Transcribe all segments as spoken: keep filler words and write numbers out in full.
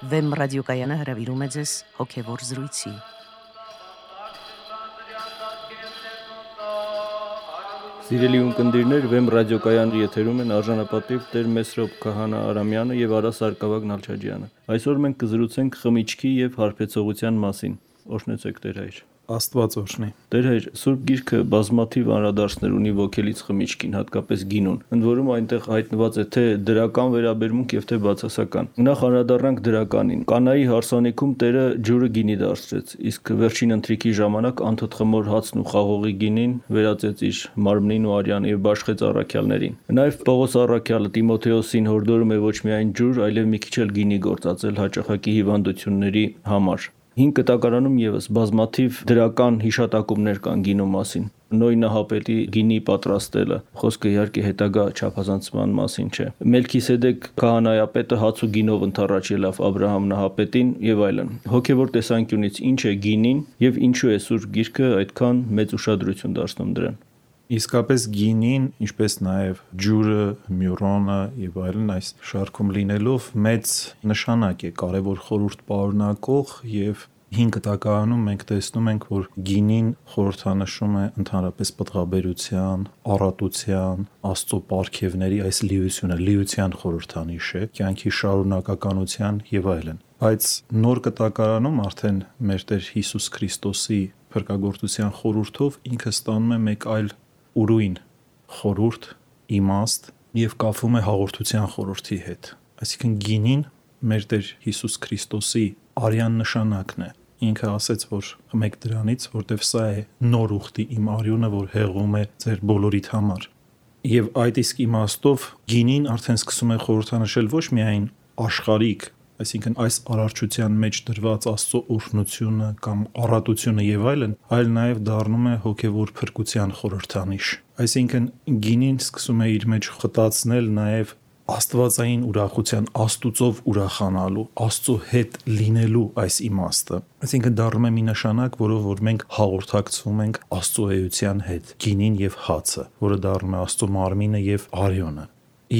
Վեմ ռադիոկայանը հրավիրում է ձեզ հոգևոր զրույցի։ Սիրելի ունկնդիրներ, Վեմ ռադիոկայանի եթերում են արժանապատիվ Տեր Մեսրոպ Քահանա Արամյանը եւ Արա Սարգսակ Նալչաջյանը։ Այսօր մենք կզրուցենք խմիչքի եւ հարբեցողության մասին։ Օրհնեցեք Տեր հայր։ Աստված օրհնի։ Տեր հայր, Սուրբ Գիրքը բազմաթիվ անդրադարձներ ունի ոգելից խմիչքին, հատկապես գինուն։ Ընդ որում այնտեղ հայտնված է թե դրական վերաբերմունք եւ թե բացասական։ Նախ անդրադառնանք դրականին։ Կանայի հարսանիքում Տերը ջուրը գինի դարձրեց, իսկ վերջին ընթրիքի ժամանակ անթթխմոր հացն ու խաղողի գինին վերածեց իր մարմնին ու արյան եւ բաշխեց առաքյալներին։ Նաեւ Պողոս առաքյալը Տիմոթեոսին հորդորում է ոչ միայն ջուր, այլև մի քիչ էլ գինի գործածել հաճախակի հիվանդությունների համար։ Հին կտակարանում եւս բազմաթիվ դրական հիշատակումներ կան գինու մասին։ Նոյ նահապետի գինի պատրաստելը, խոսքը իհարկե հետագա չափազանցման մասին չէ։ Մելքիսեդեկ քահանայապետը հաց ու գինով ընթառաջ ելավ Աբ รา համ նահապետին եւ այլն։ Հոգեվոր տեսանկյունից ինչ է գինին եւ ինչու է Սուրբ Գիրքը այդքան մեծ ուշադրություն դարձնում դրան։ Իսկապես գինին, ինչպես նաև ջուրը, մյուրոնը եւ այլն այս շարքում լինելով մեծ նշանակ է, կարևոր խորհուրդ պարունակող եւ հին կտակարանում մենք տեսնում ենք, որ գինին խորհրդանշում է ընդհանրապես պտղաբերության, առատության, Աստծո պարգևների այս լիությունը, լիության խորհրդանիշ է, կյանքի շարունակականության եւ այլն։ Բայց նոր կտակարանում արդեն մեր Տեր Հիսուս Քրիստոսի փրկagorցության խորհուրդով ինքը ստանում է մեկ այլ ուրույն խորհուրդ, իմաստ եւ կապվում է հաղորդության խորհրդի հետ։ Այսինքն գինին մեր Տեր Հիսուս Քրիստոսի արյան նշանակն է։ Ինքը ասեց, որ խմեք դրանից, որտեվ սա է նոր ուխտի իմ արյունը, որ հեղում է ձեր բոլորիդ համար։ Եվ այդ իսկ իմաստով գինին արդեն սկսում է խորհրդանշել ոչ միայն աշխարհիկ, այսինքն այս արարչության մեջ դրված Աստծո օրհնությունը կամ առատությունը եւ այլն, այլ նաեւ դառնում է հոգեվոր փրկության խորհրդանիշ։ Այսինքն գինին սկսում է իր մեջ խտացնել նաեւ աստվածային ուրախության, Աստուծով ուրախանալու, Աստծո հետ լինելու այս իմաստը։ Այսինքն դառնում է մի նշանակ, որով որ մենք հաղորդակցվում ենք Աստծո էության հետ, գինին եւ հացը, որը դառնում է Աստծո մարմինը եւ արյունը։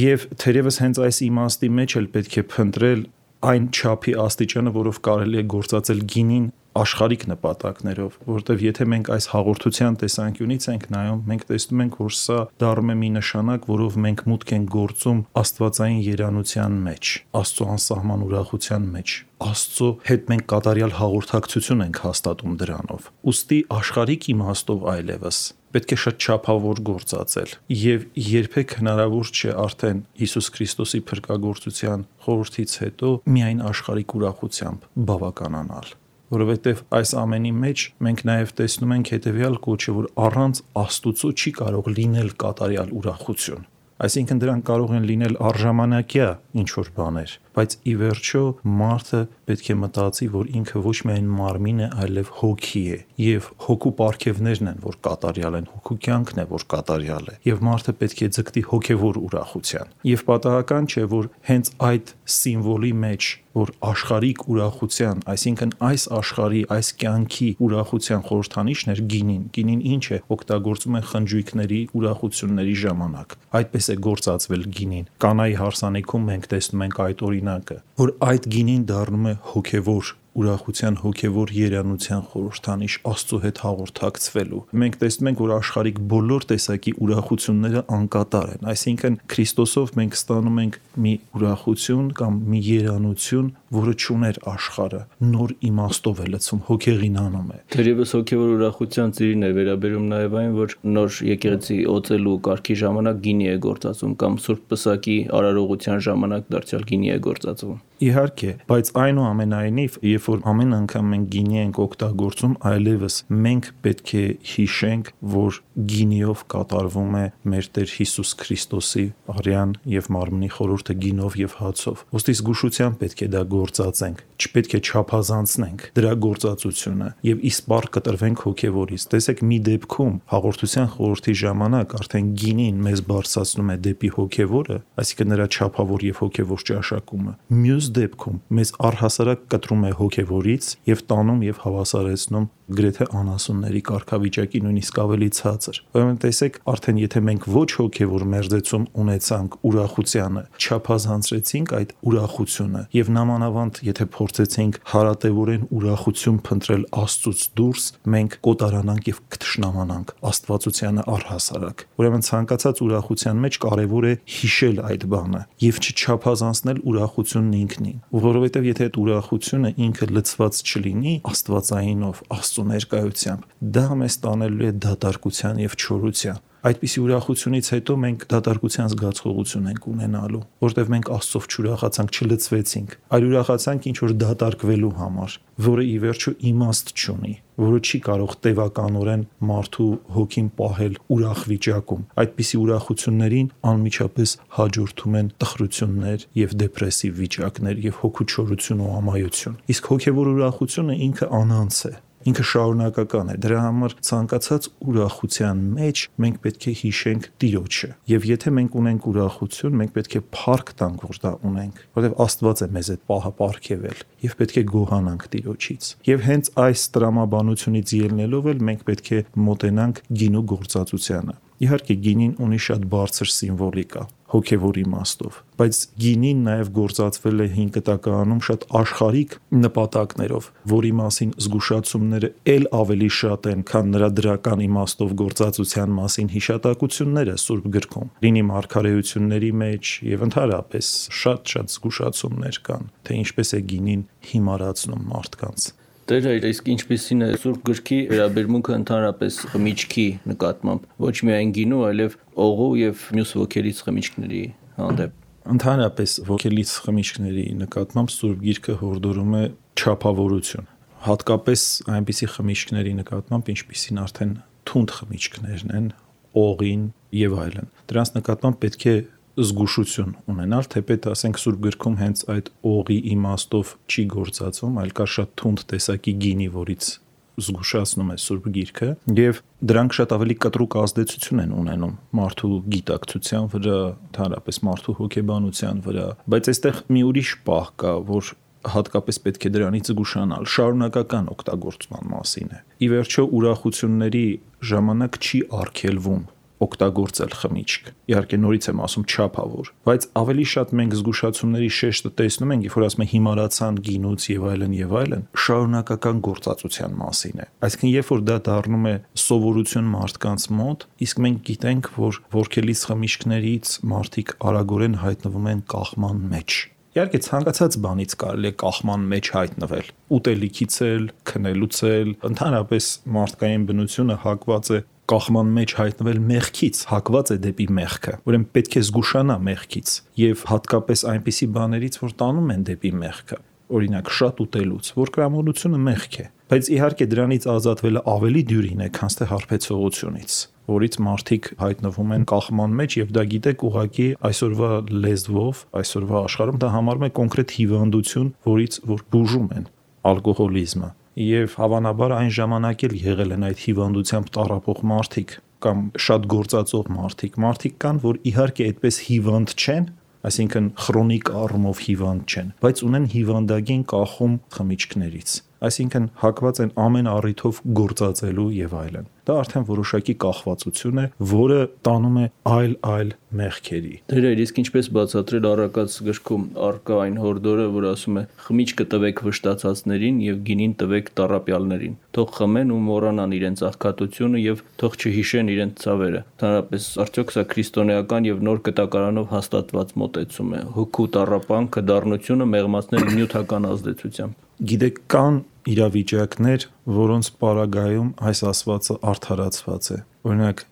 Եվ թերևս հենց այս իմաստի մեջ էլ պետք է փնտրել այն չափի աստիճանը, որով կարելի է գործածել գինին աշխարհիկ նպատակներով, որովհետև եթե մենք այս հաղորդության տեսանկյունից ենք նայում, մենք տեսնում ենք, որ սա դառնում է մի նշանակ, որով մենք մուտք ենք գործում աստվածային երանության մեջ, Աստծո անսահման ուրախության մեջ, Աստծո հետ մենք կատարյալ հաղորդակցություն ենք հաստատում դրանով։ Ուստի աշխարհիկ իմաստով այլևս պետք է շատ չափավոր գործածել եւ երբեք հնարավոր չէ արդեն Հիսուս Քրիստոսի փրկagorցության խորհրդից հետո միայն աշխարհիկ ուրախությամբ բավականանալ, որովհետեւ այս ամենի մեջ մենք նաեւ տեսնում ենք հետեւյալ կոչը, որ առանց Աստուծո չի կարող լինել կատարյալ ուրախություն։ Այսինքն դրանք կարող են լինել առժամանակյա ինչ-որ բաներ, բայց ի վերջո մարդը պետք է մտածի, որ ինքը ոչ միայն մարմին է, այլև հոգի է, եւ հոգու պարգևներն են, որ կատարյալ են, հոգու կյանքն է, որ կատարյալ է, եւ մարդը պետք է ձգտի հոգեվոր ուրախության։ Եվ պատահական չէ, որ հենց այդ սիմվոլի մեջ, որ աշխարհիկ ուրախության, այսինքն այս աշխարհի, այս կյանքի ուրախության խորհրդանիշն էր գինին։ Գինին ինչ է, օգտագործում են խնջույքների, ուրախությունների ժամանակ։ Այդպես է գործածվել գինին։ Կանայի հարսանիքում մենք տեսնում ենք այդ օրինակը, որ այդ գինին դառնում է հոգևոր ուրախության, հոգևոր երանության խորհրդանիշ, Աստծո հետ հաղորդակցվելու։ Մենք տեսնում ենք, որ աշխարհիկ բոլոր տեսակի ուրախությունները անկատար են, այսինքն Քրիստոսով մենք ստանում ենք մի ուրախություն կամ մի երանություն, որը չուներ աշխարհը, նոր իմաստով է լցում, հոգեղինանում է։ Թերևս հոգևոր ուրախության ծիրին է վերաբերում նաև այն, որ նոր եկեղեցի օծելու կարգի ժամանակ գինի է գործածում կամ Սուրբ Պսակի արարողության ժամանակ դարձյալ գինի է գործածվում։ Իհարկե, բայց այնուամենայնիվ, երբ որ ամեն անգամ մենք գինի ենք օգտագործում, այլևս մենք պետք է հիշենք, որ գինիով կատարվում է մեր Տեր Հիսուս Քրիստոսի արյան եւ մարմնի խորհուրդը գինով եւ հացով։ Ոստի զգուշությամբ պետք է դա գործածենք, չպետք է չափազանցնենք դրա գործածությունը եւ իսպառ կտրվենք հոգեվորից։ Տեսեք, մի դեպքում հաղորդության խորհրդի ժամանակ արդեն գինին մեզ բարձրացնում է դեպի հոգեվորը, այսինքն նրա չափավոր եւ հոգեվոր ճաշակումը։ Մյուս դեպքում մեզ առհասարակ կտրում է հոգեվորից եւ տանում եւ հավասարեցնում գրեթե անասունների կարգավիճակի նույնիսկ ավելի ցածր։ Ուրեմն տեսեք, արդեն եթե մենք ոչ հոգևոր մերձեցում ունեցանք ուրախությանը, չափազանցրեցինք այդ ուրախությունը եւ նամանավանդ եթե փորձեցինք հարատեվորեն ուրախություն փնտրել Աստծուց դուրս, մենք կոտարանանք եւ կթշնամանանք Աստվածությանը առհասարակ։ Ուրեմն ցանկացած ուրախության մեջ կարեւոր է հիշել այդ բանը եւ չչափազանցնել ուրախությունն ինքնին, որովհետեւ եթե այդ ուրախությունը ինքը լցված չլինի Աստվածայինով, Աստծո ներկայությամբ, դա մեզ տանելու է դատարկության եւ չորության։ Այդպիսի ուրախությունից հետո մենք դատարկության զգացողություն ենք ունենալու, որտեղ մենք Աստծով չուրախացանք, չլցվեցինք, այլ ուրախացանք ինչ որ դատարկվելու համար, որը ի վերջո իմաստ չունի, որը չի կարող տևականորեն մարդու հոգին պահել ուրախ վիճակում։ Այդպիսի ուրախություններին անմիջապես հաջորդում են տխրություններ եւ դեպրեսիվ վիճակներ եւ հոգու չորություն ու ամայություն։ Իսկ հոգեվոր ուրախությունը ինքը անանց է, ինքը շարունակական է, դրա համար ցանկացած ուրախության մեջ մենք պետք է հիշենք Տիրոջը, եւ եթե մենք ունենք ուրախություն, մենք պետք է փառք տանք, որ դա ունենք, որովհետեւ Աստված է մեզ այդ պահը պարգևել, եւ պետք է գոհանանք Տիրոջից։ Եվ հենց այս տրամաբանությունից ելնելով էլ մենք պետք է մոտենանք գինու գործածությանը։ Իհարկե գինին ունի շատ բարձր սիմվոլիկա, հոգևոր իմաստով, բայց գինին նաև գործածվել է հին կտակարանում շատ աշխարհիկ նպատակներով, որի մասին զգուշացումները ել ավելի շատ են, քան նրա դրական իմաստով գործածության մասին հիշատակությունները Սուրբ գրքում։ Լինի մարգարեությունների մեջ եւ ընդհանրապես շատ-շատ զգուշացումներ կան, թե ինչպես է գինին հիմարացնում մարդկանց։ Տեր հայր, իսկ ինչպեսին է Սուրբ գրքի վերաբերմունքը ընդհանրապես խմիչքի նկատմամբ, ոչ միայն գինու, այլև օղու եւ մյուս ոգելից խմիչքների հանդեպ։ Ընդհանրապես ոգելից խմիչքների նկատմամբ Սուրբ գիրքը հորդորում է չափավորություն, հատկապես այնպիսի խմիչքների նկատմամբ, ինչպիսին արդեն թունդ խմիչքներն են, օղին եւ այլն։ Դրանց նկատմամբ պետք է զգուշություն ունենալ, թեպետ ասենք Սուրբ գրքում հենց այդ օղի իմաստով չի գործածում, այլ կա շատ թունդ տեսակի գինի, որից զգուշացնում է Սուրբ գիրքը, եւ դրանք շատ ավելի կտրուկ ազդեցություն են ունենում մարդու գիտակցության վրա, ընդհանրապես մարդու հոգեբանության վրա, բայց այստեղ մի ուրիշ պահ կա, որ հատկապես պետք է դրանից զգուշանալ, շարունակական օգտագործման մասին է։ Ի վերջո ուրախությունների ժամանակ չի արգելվում օգտագործել խմիչք։ Իհարկե նորից եմ ասում չափավոր, բայց ավելի շատ մենք զգուշացումների շեշտը տեսնում ենք, երբ որ ասում են հիմարացան գինուց եւ այլն եւ այլն, շարունակական գործածության մասին է։ Այսինքն երբ որ դա դառնում է սովորություն մարդկանց մոտ, իսկ մենք գիտենք, որ ворքելից խմիչքներից մարդիկ արագորեն հայտնվում են կախման մեջ։ Իհարկե ցանկացած բանից կարելի է կախման մեջ հայտնվել։ Ուտելիքից էլ, քնելուց էլ, ընդհանրապես մարդկային բնությունը հակված է կախման մեջ հայտնվել մեղքից, հակված է դեպի մեղքը։ Ուրեմն պետք է զգուշանա մեղքից եւ հատկապես այնպիսի բաներից, որ տանում են դեպի մեղքը։ Օրինակ շատ ուտելուց, որ կրամոլությունը մեղք է, բայց իհարկե դրանից ազատվելը ավելի դյուրին է, քան թե հարբեցողությունից, որից մարդիկ հայտնվում են կախման մեջ եւ դա գիտեք ուղղակի այսօրվա լեզվով, այսօրվա աշխարհում դա համարվում է կոնկրետ հիվանդություն, որից որ բուժում են ալկոհոլիզմը։ Եվ հավանաբար այն ժամանակ էլ եղել են այդ հիվանդությամբ տառապող մարդիկ կամ շատ գործածող մարդիկ, մարդիկ կան, որ իհարկե այդպես հիվանդ չեն, այսինքն քրոնիկ առումով հիվանդ չեն, բայց ունեն հիվանդագին կախում խմիչքներից, այսինքն հակված են ամեն առիթով գործածելու եւ այլն։ Դա արդեն որոշակի կախվածություն է, որը տանում է այլ-այլ մեղքերի։ Դեր իսկ ինչպես բացատրել առակաց գրքում առկա այն հորդորը, որ ասում է խմիչքը տվեք վշտացածներին եւ գինին տվեք տառապյալներին, թող խմեն ու մոռանան իրենց աղքատությունը եւ թող չհիշեն իրենց ցավերը։ Ընդհանրապես արդյոք սա քրիստոնեական եւ նոր կտակարանով հաստատված մոտեցում է, հոգու տառապանքը, դառնությունը մեղմացնել նյութական ազդեցությամբ։ Գիտեք, կան իրավիճակներ, որոնց պարագայում այս ասվածը արդարացված է։ Օրինակ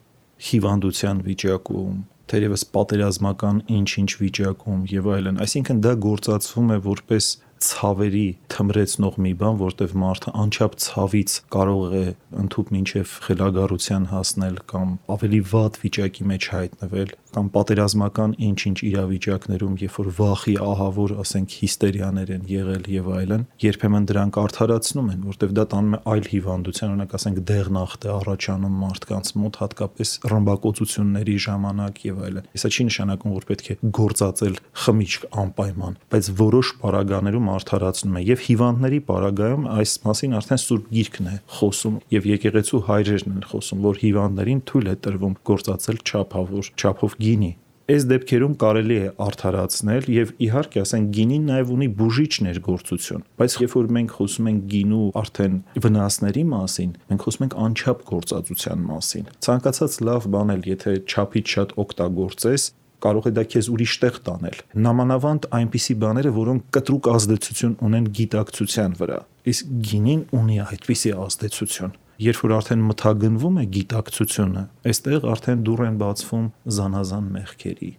հիվանդության վիճակում, թերևս պատերազմական ինչ-ինչ վիճակում եւ այլն, այսինքն դա գործածվում է որպես ցավերի թմրեցնող մի բան, որտեղ մարդը անչափ ցավից կարող է ընդհուպ մինչև խելագարության հասնել կամ ավելի վատ վիճակի մեջ հայտնվել, կամ պատերազմական ինչ-ինչ իրավիճակներում, երբ որ վախի ահավոր, ասենք, հիստերիաներ են եղել եւ այլն, երբեմն դրանք արդարացնում են, որտեվ դա տանում է այլ հիվանդության, օրինակ ասենք դեղնախտ է առաջանում մարդկանց մոտ, հատկապես ռմբակոծությունների ժամանակ եւ այլն։ Սա չի նշանակում, որ պետք է գործածել խմիչք անպայման, բայց որոշ պարագաներում արդարացնում է եւ հիվանդների պարագայում այս մասին արդեն Սուրբ Գիրքն է խոսում եւ եկեղեցու հայրերն են խոսում, որ հիվանդներին թույլ է տրվում գործածել չափավոր չափով գինի։ Այս դեպքերում կարելի է արդարացնել եւ իհարկե ասենք գինին նաեւ ունի բուժիչ ներգործություն, բայց երբ որ մենք խոսում ենք գինու արդեն վնասների մասին, մենք խոսում ենք անչափ գործածության մասին։ Ցանկացած լավ բան էլ եթե չափից շատ օգտագործես, կարող է դա քեզ ուրիշ տեղ տանել։ Նամանավանդ այնպիսի բաները, որոնք կտրուկ ազդեցություն ունեն գիտակցության վրա։ Իսկ գինին ունի այդպիսի ազդեցություն։ Երբ որ արդեն մթագնվում է գիտակցությունը, այստեղ արդեն դուռ են բացվում զանազան մեղքերի,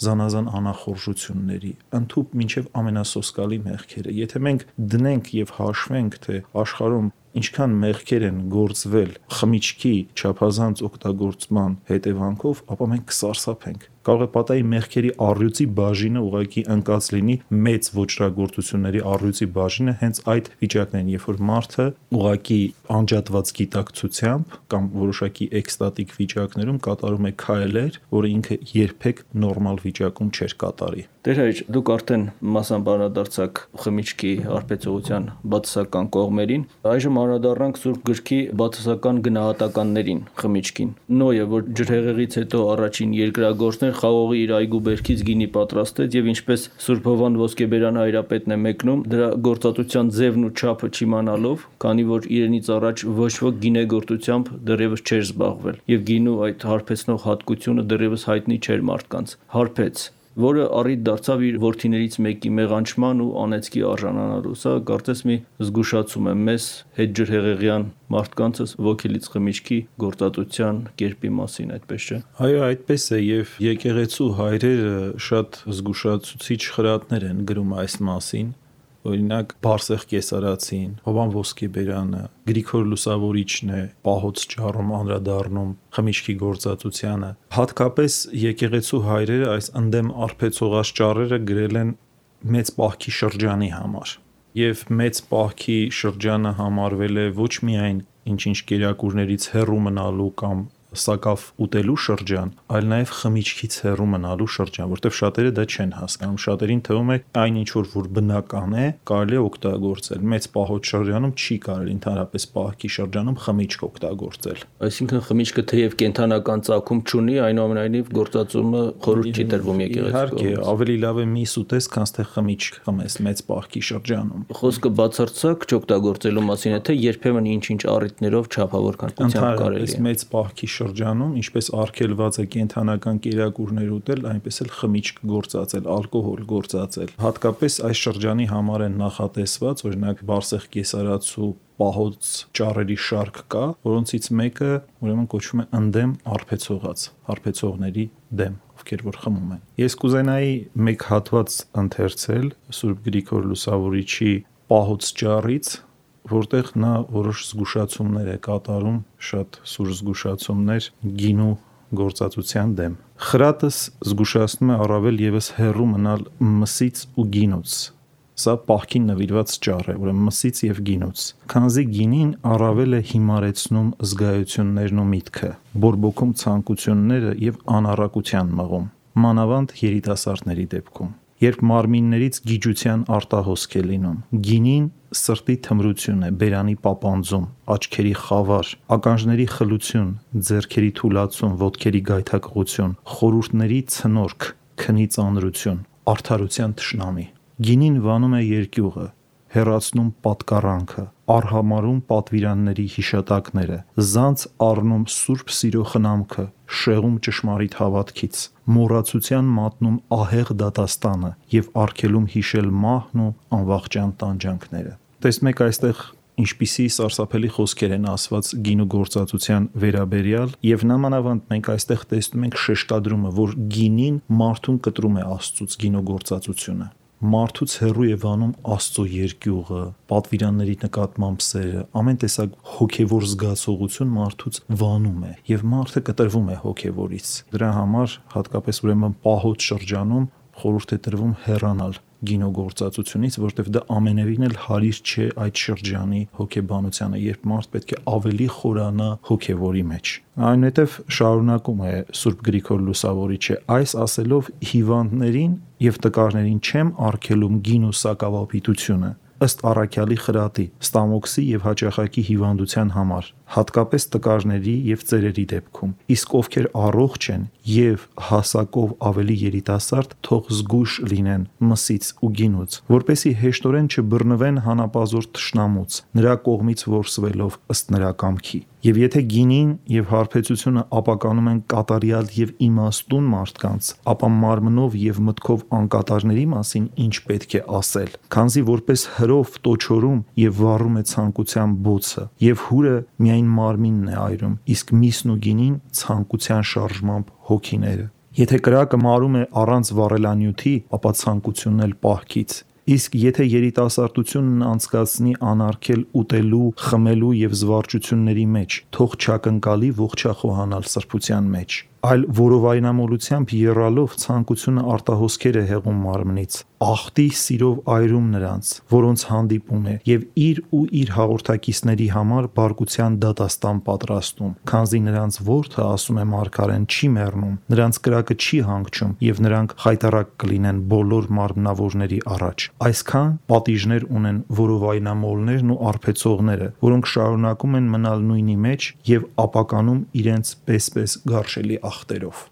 զանազան անախորժությունների, ընդհուպ մինչև ամենասոսկալի մեղքերը։ Եթե մենք դնենք եւ հաշվենք, թե աշխարհում ինչքան մեղքեր են գործվել խմիչքի չափազանց օգտագործման հետևանքով, ապա մենք կսարսափենք։ Կարող է պատահի մեղքերի առյուծի բաժինը ուղղակի ընկած լինի մեծ ոճրագործությունների առյուծի բաժինը հենց այդ վիճակներն, երբ որ մարդը ուղղակի անջատված գիտակցությամբ կամ որոշակի էքստատիկ վիճակներում կատարում է քայլեր, որը ինքը երբեք նորմալ վիճակում չէր կատարի։ Տեր հայր, դուք արդեն մասամբ անդրադարձաք խմիչքի արբեցողության բացասական կողմերին, այժմ անդրադառնանք Սուրբ Գրքի բացասական գնահատականներին խմիչքին։ Նոյը, որ ջրհեղեղից հետո առաջին երկրագործն էր, խաղողի իր այգու բերքից գինի պատրաստեց եւ ինչպես Սուրբ Հովան Ոսկեբերան հայրապետն է մեկնում, դրա գործածության ձևն ու չափը չիմանալով, քանի որ իրենից առաջ ոչ ոք գինեգործությամբ դեռևս չէր զբաղվել եւ գինու այդ հարբեցնող հատկությունը դեռևս հայտնի չէր մարդկանց։ Հարբեց, որը առիթ դարձավ իր որդիներից մեկի մեղանչման ու անեծքի արժանանալու։ Սա կարծես մի զգուշացում է մեզ հետ ջրհեղեղյան մարդկանց ոգելից խմիչքի գործածության կերպի մասին, այդպես չէ։ Այո, այդպես է եւ եկեղեցու հայրերը շատ զգուշացուցիչ խրատներ են գրում այս մասին։ Օրինակ Բարսեղ Կեսարացին, Հովան Ոսկեբերանը, Գրիգոր Լուսավորիչն է պահոց ճառում անդրադառնում խմիչքի գործածությանը։ Հատկապես եկեղեցու հայրերը այս ընդդեմ արբեցողած ճառերը գրել են մեծ պահքի շրջանի համար։ Եվ մեծ պահքի շրջանը համարվել է ոչ միայն ինչ-ինչ կերակուրներից հեռու մնալու կամ սակավ ուտելու շրջան, այլ նաև խմիչքից հեռու մնալու շրջան, որտեղ շատերը դա չեն հասկանում։ Շատերին թվում է այն ինչ որ բնական է, կարելի է օգտագործել։ Մեծ պահոց շրջանում չի կարելի ընդհանրապես պահքի շրջանում խմիչք օգտագործել։ Այսինքն խմիչքը թեև կենթանական ծագում չունի, այնուամենայնիվ գործածումը խորհուրդ չի տրվում եկեղեցու։ Իհարկե, ավելի լավ է միս ուտես, քան թե խմիչք խմես մեծ պահքի շրջանում։ Խոսքը բացարձակ չօգտագործելու մասին է, թե երբեմն ինչ-ինչ առիթներով չափավոր քանակությամբ կարելի է։ Մեծ պահքի շրջանում, ինչպես արգելված է կենթանական կերակուրներ ուտել, այնպես էլ խմիչք գործածել, ալկոհոլ գործածել։ Հատկապես այս շրջանի համար են նախատեսված, օրինակ Բարսեղ Կեսարացու պահոց ճառերի շարք կա, որոնցից մեկը ուրեմն կոչվում է ընդդեմ արբեցողած, արբեցողների դեմ, ովքեր որ խմում են։ Ես կուզենայի մեկ հատված ընթերցել Սուրբ Գրիգոր Լուսավորիչի պահոց ճառից, որտեղ նա որոշ զգուշացումներ է կատարում, շատ սուր զգուշացումներ գինու գործածության դեմ։ Խրատս զգուշացնում է առավել եւս հեռու մնալ մսից ու գինուց։ Սա պահքին նվիրված ճառ է, ուրեմն մսից եւ գինուց։ Քանզի գինին առավել է հիմարեցնում զգայություններն ու միտքը, բորբոքում ցանկությունները եւ անառակության մղում, մանավանդ երիտասարդների դեպքում։ Երբ մարմիններից գիջության արտահոսք է լինում, գինին սրտի թմրություն է, բերանի պապանձում, աչքերի խավար, ականջների խլություն, ձեռքերի թուլացում, ոտքերի գայթակղություն, խորհուրդների ցնորք, քնի ծանրություն, արդարության թշնամի։ Գինին վանում է երկյուղը, հեռացնում պատկառանքը, արհամարում պատվիրանների հիշատակները, զանց առնում սուրբ սիրո խնամքը, շեղում ճշմարիտ հավատքից, մոռացության մատնում ահեղ դատաստանը եւ արգելում հիշել մահն ու անվախճան տանջանքները։ Տեսնեք այստեղ ինչպիսի սարսափելի խոսքեր են ասված գինու գործածության վերաբերյալ եւ նամանավանդ մենք այստեղ տեսնում ենք շեշտադրումը, որ գինին մարդուն կտրում է Աստծուց գինու գործածությունը։ մարդուց հեռու է վանում Աստծո երկյուղը, պատվիրանների նկատմամբ սերը, ամեն տեսակ հոգևոր զգացողություն մարդուց վանում է եւ մարդը կտրվում է հոգևորից։ Դրա համար հատկապես ուրեմն պահոց շրջանում խորհուրդ է տրվում հեռանալ գինոգործածությունից, որտեղ դա ամենևին էլ հարիր չէ այդ շրջանի հոգեբանությանը, երբ մարդ պետք է ավելի խորանա հոգևորի մեջ։ Այնուհետև շարունակում է Սուրբ Գրիգոր Լուսավորիչը, այս ասելով հիվանդներին եւ տկարներին չեմ արգելում գին ու սակավապիտությունը, ըստ առաքյալի խրատի, ստամոքսի եւ հաճախակի հիվանդության համար, հատկապես տկարների եւ ծերերի դեպքում, իսկ ովքեր առողջ են եւ հասակով ավելի երիտասարդ, թող զգույշ լինեն մսից ու գինուց, որպեսի հեշտորեն չբռնվեն հանապազոր թշնամուց, նրա կողմից որսվելով ըստ նրա կամքի։ Եվ եթե գինին եւ հարբեցությունը ապականում են կատարյալ եւ իմաստուն մարդկանց, ապա մարմնով եւ մտքով անկատարների մասին ինչ պետք է ասել, քանզի որպես հրով տոչորում եւ վառում է ցանկության բոցը, եւ հուրը միայն մարմինն է այրում, իսկ միսն ու գինին ցանկության շարժմամբ հոգիները։ Եթե կրակը մարում է առանց վառելանյութի, ապա ցանկությունն էլ պահքից։ Իսկ եթե երիտասարդությունն անցկացնի անարգել ուտելու, խմելու եւ զվարճությունների մեջ, թող չակնկալի ողջախոհանալ սրբության մեջ, այլ որովայնամոլությամբ եռալով ցանկությունը արտահոսքեր է հեղում մարմնից, աղտի սիրով այրում նրանց, որոնց հանդիպում է, եւ իր ու իր հաղորդակիցների համար բարկության դատաստան պատրաստում, քանզի նրանց որդը, ասում է մարգարեն, չի մեռնում, նրանց կրակը չի հանգչում, եւ նրանք խայտառակ կլինեն բոլոր մարմնավորների առաջ։ Այսքան պատիժներ ունեն որովայնամոլներն ու արբեցողները, որոնք շարունակում են մնալ նույնի մեջ եւ ապականում իրենց պես-պես գարշելի ախտերով։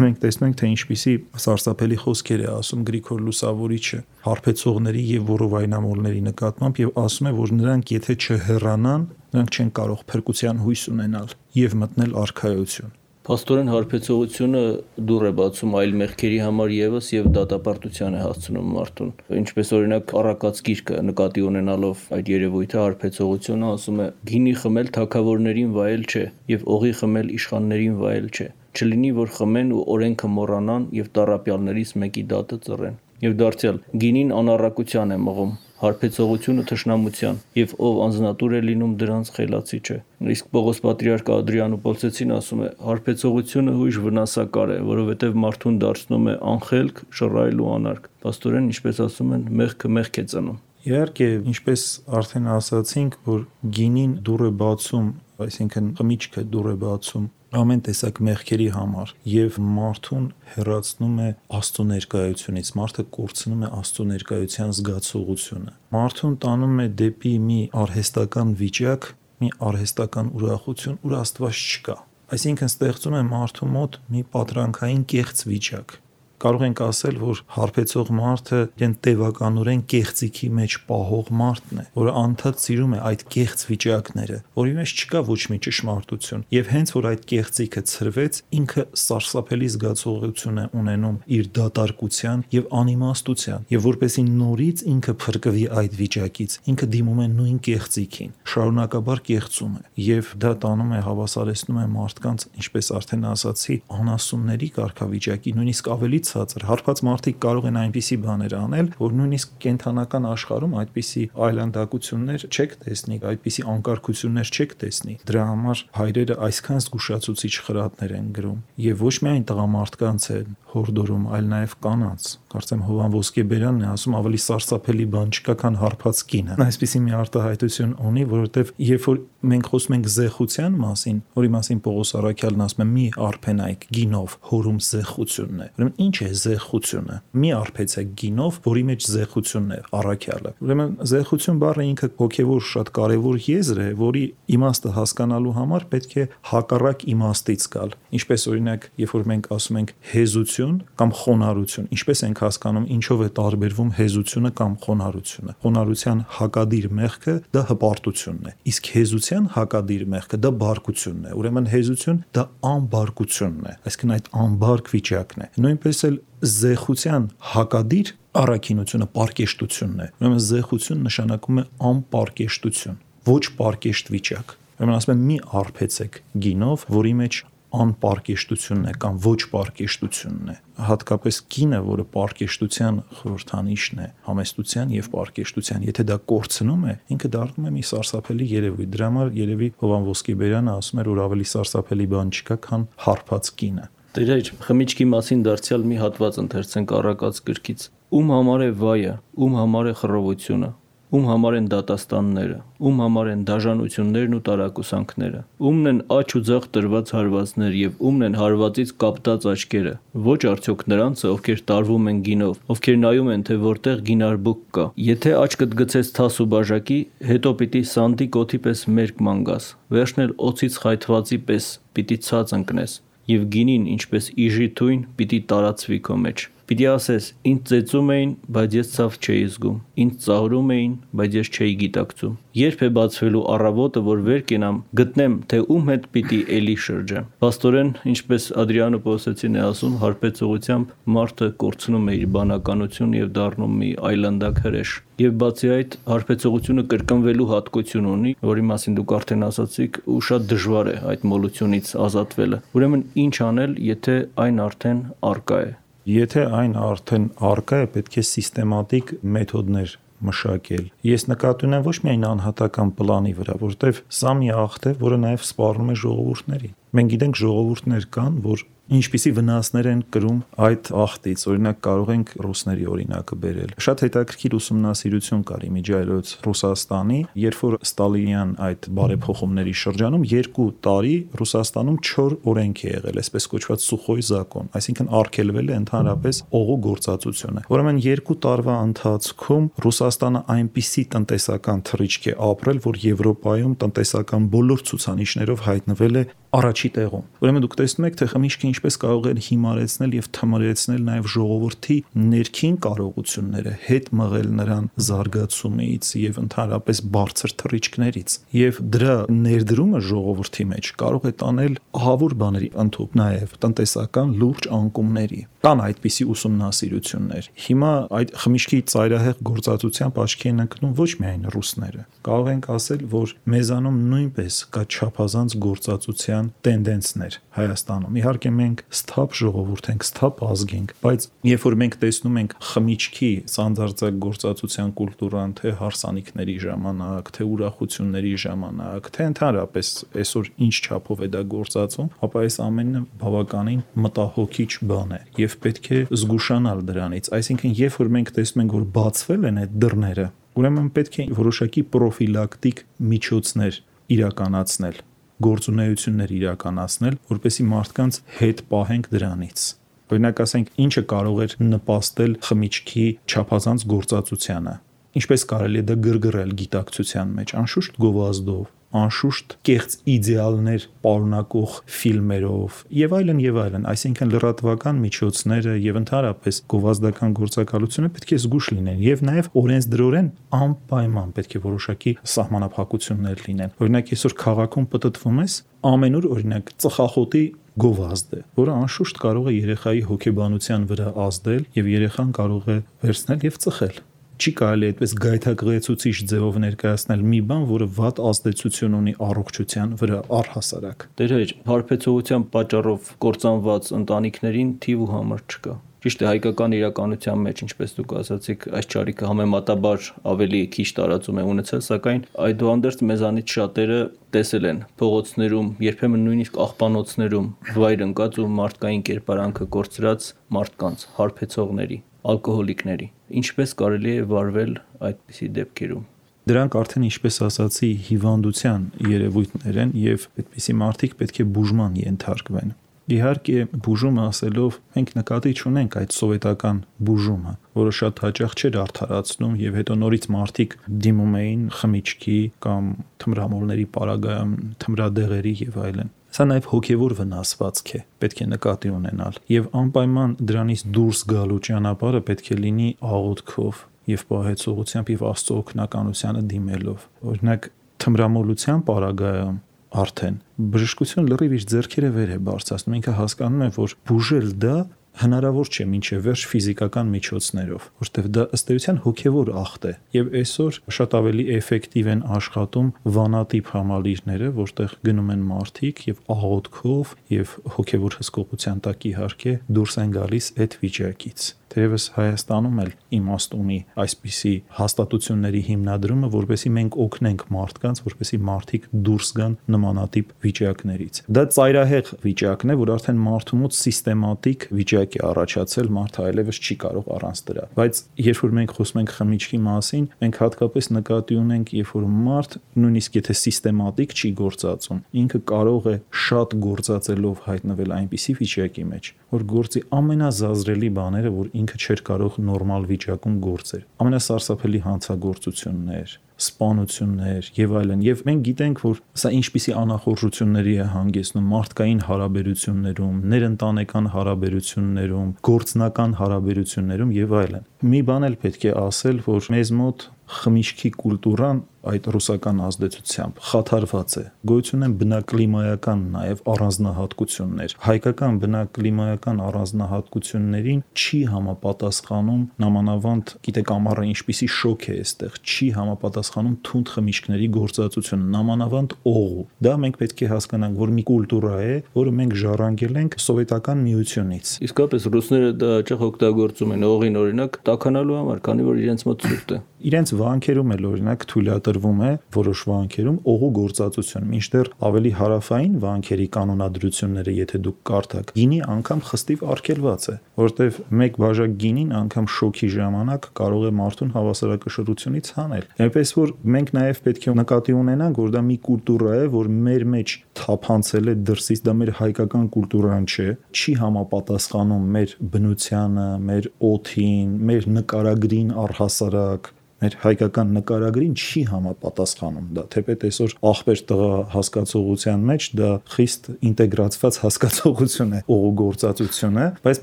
Մենք տեսնում ենք, թե ինչպիսի սարսափելի խոսքեր է ասում Գրիգոր Լուսավորիչը հարբեցողների եւ որովայնամոլների նկատմամբ եւ ասում է, որ նրանք եթե չհեռանան, նրանք չեն կարող փրկության հույս ունենալ եւ մտնել արքայություն։ Փաստորեն հարբեցողությունը դուռ է բացում այլ մեղքերի համար եւս եւ դատապարտության է հասցնում մարդուն։ Ինչպես օրինակ Առակաց գիրքը նկատի ունենալով այդ երևույթը հարբեցողությունը ասում է. «Գինի խմել թագավորներին վայել չէ եւ օղի խմել իշխաններին վայել չէ։ Չլինի որ խմեն ու օրենքը մոռանան եւ տառապյալներից մեկի դատը ծռեն»։ Եվ դարձյալ գինին անառակության է մղում, հարբեցողությունը թշնամության, եւ ով անձնատուր է լինում դրանց խելացի չէ։ Իսկ Պողոս Պատրիարք Ադրիանոպոլսեցին ասում է. հարբեցողությունը հույժ վնասակար է, որովհետեւ մարդուն դարձնում է անխելք, շռայլ ու անարգ։ Պաստորեն, ինչպես ասում են, մեղքը մեղք է ծնում։ Իհարկե, ինչպես արդեն ասացինք, որ գինին դուռ է բացում, այսինքն խմիչքը դուռ է բացում ամեն տեսակ մեղքերի համար եւ մարդուն հեռացնում է Աստծո ներկայությունից, մարդը կորցնում է Աստծո ներկայության զգացողությունը, մարդուն տանում է դեպի մի արհեստական վիճակ, մի արհեստական ուրախություն, ուր Աստված չկա, այսինքն ստեղծում է մարդու մոտ մի պատրանքային կեղծ վիճակ։ Կարող ենք ասել, որ հարբեցող մարդը իրեն տևականորեն կեղծիքի մեջ պահող մարդն է, որը անդադ սիրում է այդ կեղծ վիճակները, որի մեջ չկա ոչ մի ճշմարտություն, եւ հենց որ այդ կեղծիքը ցրվեց, ինքը սարսափելի զգացողություն է ունենում իր դատարկության եւ անիմաստության, եւ որպեսի նորից ինքը փրկվի այդ վիճակից, ինքը դիմում է նույն կեղծիքին, շարունակաբար կեղծում է, եւ դա տանում է, հավասարեցնում է մարդկանց, ինչպես արդեն ասացի, անասունների կարգավիճակի, նույնիսկ ավելի ցածր հարբած մարդիկ կարող են այնպիսի բաներ անել, որ նույնիսկ կենթանական աշխարհում այդպիսի այլանդակություններ չեք տեսնի, այդպիսի անկարգություններ չեք տեսնի։ Դրա համար հայրերը այսքան զգուշացուցիչ խրատներ են գրում եւ ոչ միայն տղամարդկանց են հորդորում, այլ նաեւ կանանց։ Կարծեմ Հովան Ոսկեբերանն է ասում ավելի սարսափելի բան չկա, քան հարբած կինը։ Այսպիսի մի արտահայտություն ունի, որովհետեւ երբ որ մենք խոսում ենք զեղության մասին, որի մասին Պողոս Առաքյալն ասում է՝ մի արփենայք գինով, հորում զեղությունն է։ Ուրեմն ինչ է զեղությունը։ Մի արփեցեք գինով, որի մեջ զեղությունն է առաքյալը։ Ուրեմն զեղություն բառը ինքը հոգևոր շատ կարևոր եզր է, որի իմաստը հասկանալու համար պետք է հակառակ իմաստից գալ։ Ինչպես օրինակ, երբ որ մենք ասում ենք հեզություն կամ խոնարհություն, ինչպես ենք հասկանում ինչով է տարբերվում հեզությունը կամ խոնարհությունը։ Խոնարհության հակադիր մեղքը դա հպարտությունն է, իսկ հեզության հակադիր մեղքը դա բարկությունն է։ Ուրեմն հեզություն դա անբարկությունն է, այսինքն այդ անբարկ վիճակն է։ Նույնպես էլ զեղության հակադիր առաքինությունը պարկեշտությունն է։ Ուրեմն զեղություն նշանակում է անպարկեշտություն, ոչ պարկեշտ վիճակ։ Ուրեմն ասում եմ մի արփեցեք գինով, որի մեջ անպարկեշտությունն է կամ ոչ պարկեշտությունն է։ Հատկապես կինը, որը պարկեշտության խորհրդանիշն է, համեստության եւ պարկեշտության, եթե դա կորցնում է, ինքը դառնում է մի սարսափելի երևույթ։ Դրա համար երևի Հովան Ոսկեբերյանը ասում էր, որ ավելի սարսափելի բան չկա, քան հարբած կինը։ Տերեր, խմիչքի մասին դարձյալ մի հատված ընթերցենք առակած գրքից։ Ում համար է վայը, ում համար է խռովությունը, ում համար են դատաստանները, ում համար են դաժանություններն ու տարակուսանքները, ումն են աջ ու ձախ տրված հարվածներ եւ ումն են հարվածից կապտած աչքերը։ Ոչ արդյոք նրանցը, ովքեր տարվում են գինով, ովքեր նայում են, թե որտեղ գինարբուկ կա։ Եթե աչքդ գցես թաս ու բաժակի, հետո պիտի սանդի կոթի պես մերկ մանգաս, վերջն էլ օծից խայթվածի պես պիտի ցած ընկնես, եւ գինին, ինչպես իժի թույն, պիտի տարածվի քո մեջ։ Պիտի ասես, ինձ ծեծում էին, բայց ես ցավ չէի զգում, ինձ ծաղրում էին, բայց ես չէի գիտակցում։ Երբ է բացվելու առավոտը, որ վեր կենամ, գտնեմ, թե ում հետ պիտի էլի շրջեմ։ Փաստորեն, ինչպես Ադրիանո Պոսեցին է ասում, հարբեցողությամբ մարդը կորցնում է իր բանականություն եւ դառնում մի այլանդակ հրեշ։ Եվ բացի այդ, հարբեցողությունը կրկնվելու հատկություն ունի, որի մասին դուք արդեն ասացիք, ու շատ դժվար է այդ մոլությունից ազատվելը։ Ուրեմն ինչ անել, եթե այն արդեն առկա է։ Եթե այն արդեն առկա է, պետք է սիստեմատիկ մեթոդներ մշակել։ Ես նկատի ունեմ ոչ միայն անհատական պլանի վրա, որտեվ սա մի աղթ է, որը նաև սպառնում է ժողովուրդների։ Մենք գիտենք ժողովուրդներ կան, որ ինչպիսի վնասներ են կրում այդ աղթից, օրինակ կարող ենք ռուսների օրինակը բերել։ Շատ հետաքրքիր ուսումնասիրություն կար իմիջիայլոց Ռուսաստանի, երբ որ Ստալինյան այդ բարեփոխումների շրջանում երկու տարի Ռուսաստանում չոր օրենք է եղել, այսպես կոչված Սուխոյ զակոն, այսինքն արգելվել է ընդհանրապես օղու գործածությունը։ Ուրեմն երկու տարվա ընթացքում Ռուսաստանը այնպիսի տնտեսական թռիչք է ապրել, որ Եվրոպայում տնտեսական բոլոր ցուցանիշներով հայտնվել է առաջի տեղում։ Ուրեմն դուք տեսնում եք, թե խմիչքը ինչպես կարող է հիմարեցնել եւ թմրեցնել նաեւ ժողովրդի ներքին կարողությունները, հետ մղել նրան զարգացումից եւ ընդհանրապես բարձր թռիչքներից։ Եվ դրա ներդրումը ժողովրդի մեջ կարող է տանել ահավոր բաների, ընդհանուր նաեւ տնտեսական լուրջ անկումների։ Կան այդպիսի ուսումնասիրություններ։ Հիմա այդ խմիչքի ծայրահեղ գործածությամբ աչքի են ընկնում ոչ միայն ռուսները։ Կարող ենք ասել, որ մեզանում նույնպես կա չափազանց գործածության տենդենսներ Հայաստանում։ Իհարկե մենք սթափ ժողովուրդ ենք, սթափ ազգ ենք, բայց երբ որ մենք տեսնում ենք խմիչքի սանձարձակ գործածության կուլտուրան, թե հարսանիքների ժամանակ, թե ուրախությունների ժամանակ, թե ընդհանրապես այսօր ինչ չափով է դա գործածում, ապա այս ամենը բավականին մտահոգիչ բան է եւ պետք է զգուշանալ դրանից։ Այսինքն, երբ որ մենք տեսնում ենք, որ բացվել են այդ դռները, ուրեմն պետք է որոշակի պրոֆիլակտիկ միջոցներ իրականացնել, գործունեություններ իրականացնել, որպեսզի մարդկանց հետ պահենք դրանից։ Օրինակ ասենք, ինչը կարող էր նպաստել խմիչքի չափազանց գործածությանը։ Ինչպես կարելի է դա գրգռել գիտակցության մեջ, անշուշտ գովազդով, անշուշտ կեղծ իդեալներ պարունակող ֆիլմերով եւ այլն եւ այլն, այսինքն լրատվական միջոցները եւ ընդհանրապես գովազդական գործակալությունը պետք է զգուշ լինեն եւ նաեւ օրենսդրորեն անպայման պետք է որոշակի սահմանափակություններ լինեն։ Օրինակ այսօր քաղաքում պտտվում ես, ամենուր օրինակ ծխախոտի գովազդ է, որը անշուշտ կարող է երեխայի հոգեբանության վրա ազդել եւ երեխան կարող է վերցնել եւ ծխել։ Չի կարելի այդպես գայթակղեցուցիչ ձևով ներկայացնել մի բան, որը վատ ազդեցություն ունի առողջության վրա առհասարակ։ Տերեր, հարբեցողության պատճառով կործանված ընտանիքներին թիվ ու համար չկա։ Ճիշտ է, հայկական իրականության մեջ, ինչպես դուք ասացիք, այս ճարիքը համեմատաբար ավելի քիչ տարածում է ունեցել, սակայն այդուհանդերձ մեզանից շատերը տեսել են փողոցներում, երբեմն նույնիսկ աղբանոցներում վայր ընկած ու մարդկային կերպարանքը կորցրած մարդկանց, հարբեցողների, ալկոհոլիկների։ Ինչպես կարելի է վարվել այդպիսի դեպքերում։ Դրանք արդեն, ինչպես ասացի, հիվանդության երևույթներ են եւ այդպիսի մարդիկ պետք է բուժման ենթարկվեն։ Իհարկե, բուժումը ասելով մենք նկատի չունենք այդ սովետական բուժումը, որը շատ հաճախ չէր արդարացնում եւ հետո նորից մարդիկ դիմում էին խմիչքի կամ թմրամոլների պարագայում թմրադեղերի եւ այլն։ Սա նաև հոգևոր վնասվածք է, պետք է նկատի ունենալ եւ անպայման դրանից դուրս գալու ճանապարհը պետք է լինի աղոթքով եւ պահեցողությամբ եւ Աստծո օգնականությանը դիմելով։ Օրինակ, թմրամոլության պարագայում արդեն բժշկությունը լրիվ իր ձեռքերը վեր է բարձրացնում, ինքը հասկանում է, որ բուժել դա հնարավոր չէ մինչև վերջ ֆիզիկական միջոցներով, որտեղ դա ըստ էության հոգևոր ախտ է։ Եվ այսօր շատ ավելի էֆեկտիվ են աշխատում վանատիպ համալիրները, որտեղ գնում են մարդիկ եւ աղոթքով եւ հոգևոր հսկողության տակ իհարկե դուրս են գալիս այդ վիճակից։ Թերևս Հայաստանում էլ իմաստ ունի այսպիսի հաստատությունների հիմնադրումը, որովհետեւ մենք օգնենք մարդկանց, որովհետեւ մարդիկ դուրս գան նմանատիպ վիճակներից։ Դա ծայրահեղ վիճակն է, որ արդեն մարդու մոտ սիստեմատիկ վիճակ է առաջացել, մարդը այլևս չի կարող առանց դրա։ Բայց երբ որ մենք խոսում ենք խմիչքի մասին, մենք հատկապես նկատի ունենք, երբ որ մարդ նույնիսկ եթե սիստեմատիկ չի գործածում, ինքը կարող է շատ գործածելով հայտնվել այնպիսի վիճակի մեջ, որ գործի ամենազազրելի բաները, որ ինքը չէր կարող նորմալ վիճակում գործել։ Ամենասարսափելի հանցագործություններ, սպանություններ եւ այլն։ Եվ մենք գիտենք, որ սա ինչպիսի անախորժությունների է հանգեցնում մարդկային հարաբերություններում, ներընտանեկան հարաբերություններում, գործնական հարաբերություններում եւ այլն։ Մի բան էլ պետք է ասել, որ մեզ մոտ խմիչքի կուլտուրան այդ ռուսական ազդեցությամբ խաթարված է։ Գոյություն են բնակլիմայական նաև առանձնահատկություններ։ Հայկական բնակլիմայական առանձնահատկություններին չի համապատասխանում նամանավանդ, գիտեք, ամառը ինչպիսի շոկ է այստեղ, չի համապատասխանում թունդ խմիչքների գործածությունը, նամանավանդ օղու։ Դա մենք պետք է հասկանանք, որ մի կուլտուրա է, որը մենք ժառանգել ենք սովետական միությունից։ Իսկապես ռուսները դա հաճախ օգտագործում են օղին օրինակ տաքանալու համար, քանի որ իրենց մոտ ցուրտ է։ Իրենց վանքերում էլ օրինակ թույլատրվում է որոշ վանքերում օղու գործածություն, մինչդեռ ավելի հարավային վանքերի կանոնադրությունները, եթե դուք կարդաք, գինի անգամ խստիվ արգելված է, որտեվ մեկ բաժակ գինին անգամ շոկի ժամանակ կարող է մարդուն հավասարակշռությունից հանել։ Այնպես որ մենք նաև պետք է նկատի ունենանք, որ դա մի կուլտուրա է, որ մեր մեջ թափանցել է դրսից, դա մեր հայկական կուլտուրան չէ, չի համապատասխանում մեր բնությանը, մեր օդին, մեր նկարագրին առհասարակ, մեր հայկական նկարագրին չի համապատասխանում դա, թեպետ այսօր ախպեր տղա հասկացողության մեջ դա խիստ ինտեգրացված հասկացողություն է օղու գործածությունը, բայց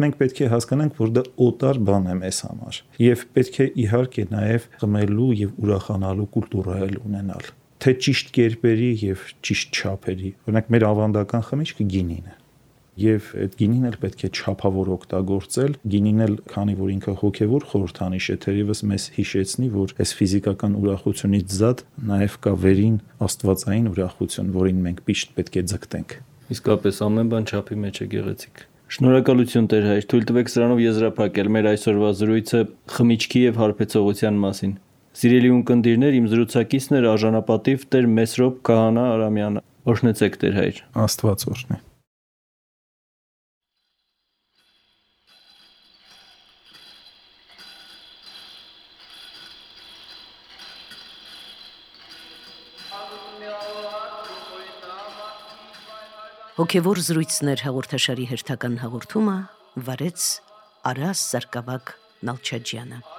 մենք պետք է հասկանանք, որ դա օտար բան է մեզ համար եւ պետք է իհարկե նաեւ խմելու եւ ուրախանալու կուլտուրա էլ ունենալ, թե ճիշտ կերպերի եւ ճիշտ չափերի։ Օրինակ մեր ավանդական խմիչքը գինին է։ Եվ այդ գինին էլ պետք է չափավոր օգտագործել, գինին էլ, քանի որ ինքը հոգևոր խորհրդանիշ է, թերևս մեզ հիշեցնի, որ այս ֆիզիկական ուրախությունից զատ նաև կա վերին աստվածային ուրախություն, որին մենք միշտ պետք է ձգտենք։ Իսկապես ամեն բան չափի մեջ է գեղեցիկ։ Շնորհակալություն Տեր հայր, թույլ տվեք սրանով եզրափակել մեր այսօրվա զրույցը խմիչքի եւ հարբեցողության մասին։ Սիրելի ունկնդիրներ, իմ զրուցակիցն էր արժանապատիվ Տեր Մեսրոպ Քահանա Արամյանը։ Օրհնեցեք Տեր հայր։ Աստված օրհնի։ Հոգևոր զրույցներ հաղորդաշարի հերթական հաղորդումը վարեց Արաս Սարգսակ Նալչաջյանը։